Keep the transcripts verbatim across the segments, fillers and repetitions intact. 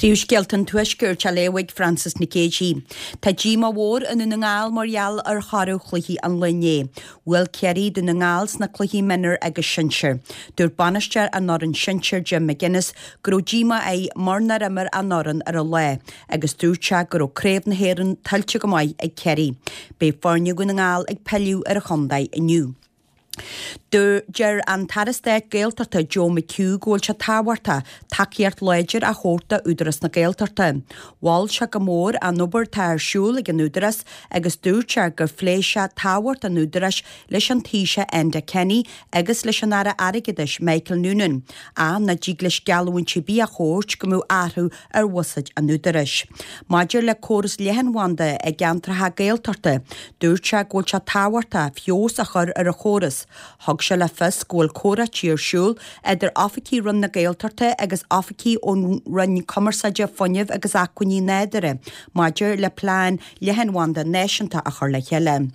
Príomhscéalta an Tuaiscirt á léamh ag Frances Nic Géadaigh. Tá díomá mhór i nDún na nGall mar gheall ar thoradh chluichí an lae inné. Bhuail Ciarraí Dún na nGall sna cluichí mionúr agus sinsir. Dúirt bainisteoir an fhoireann sinsir Jim McGuinness go raibh díomá air mar nár imir an fhoireann ar a lá agus dúirt sé go raibh Craobh na hÉireann tuillte go maith ag Ciarraí. Beidh foirne Dhún na nGall ag pilleadh ar an chontae inniu. Deir an tAire Stáit Gaeltachta Joe McHugh go bhfuil sé tábhachtach tacaíocht láidir a thabhairt d'Údarás na Gaeltachta. Mhol sé go mór an obair atá ar siúl ag an Údarás agus dúirt sé gur phléigh sé tábhacht an Údaráis leis an Taoiseach Enda Kenny agus leis an Aire Airgeadais Michael Noonan, ach nach dtig leis geallúint ar bith a thabhairt go mbeadh athrú ar bhuiséad an Údaráis. Maidir le córas leathanbhanda i gceantracha Gaeltachta, dúirt sé go bhfuil sé tábhachtach feabhas a chur ar an chóras. Thug sé le fios go bhfuil comhráití ar siúl idir oifigigh Roinn na Gaeltachta agus oifigigh ón Roinn Cumarsáide Fuinnimh agus Acmhainní Nádúrtha maidir le plean leathanbhanda náisiúnta a chur le chéile.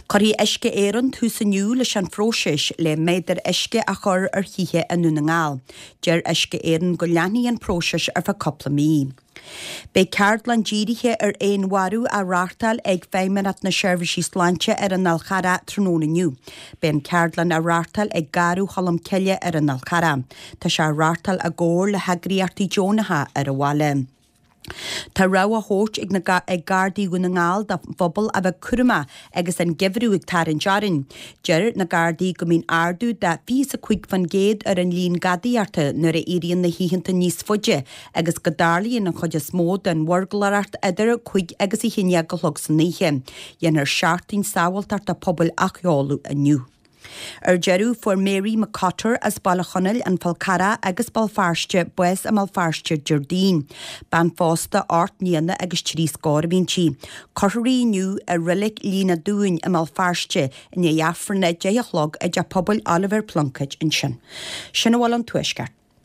Cuirfidh Uisce Éireann tús inniu leis an phróiseas le méadair uisce a chur ar thithe i nDún na nGall. Deir Uisce Éireann go leanfaidh an próiseas ar feadh cúpla mí. Beidh ceardlann dírithe ar fhéinmharú á reáchtáil ag Feidhmeannacht na Seirbhísí Sláinte ar an Fhál Charrach tráthnóna inniu. Beidh an ceardlann á reáchtáil ag Garradh Cholm Cille ar an Fhál Charrach. Tá sé á reáchtáil i gcomhar le heagraíochtaí deonacha ar an bhaile. Tá rabhadh á thabhairt ag na ag Gardaí Dhún na nGall don phobal a bheith cúramach agus an geimhreadh ag tarraingt orainn. Deir na Gardaí go mbíonn ardú de fiche a cúig faoin gcéad ar an líon gadaíochta nuair a éiríonn na hoícheanta níos faide agus go dtarlaíonn an chuid is mó den bhurglóireacht idir cúig agus a haon déag a chlog san oíche. Dhéanfar seachtain sábháilteachta pobail a sheoladh inniu. Ar deireadh fuair Mary McCotter as Baile Chonaill an Fál Carrach agus Béal Feirste bás i mBéal Feirste Déardaoin. Bean phósta ocht mbliana agus trí scór a bhí inti. Cuirfear í inniu i Reilig Lios na Dúin i mBéal Feirste i ndiaidh Aifreann a deich a chlog i dteach pobail Oliver Plunkett ansin. Sin a bhfuil ón Tuaisceart.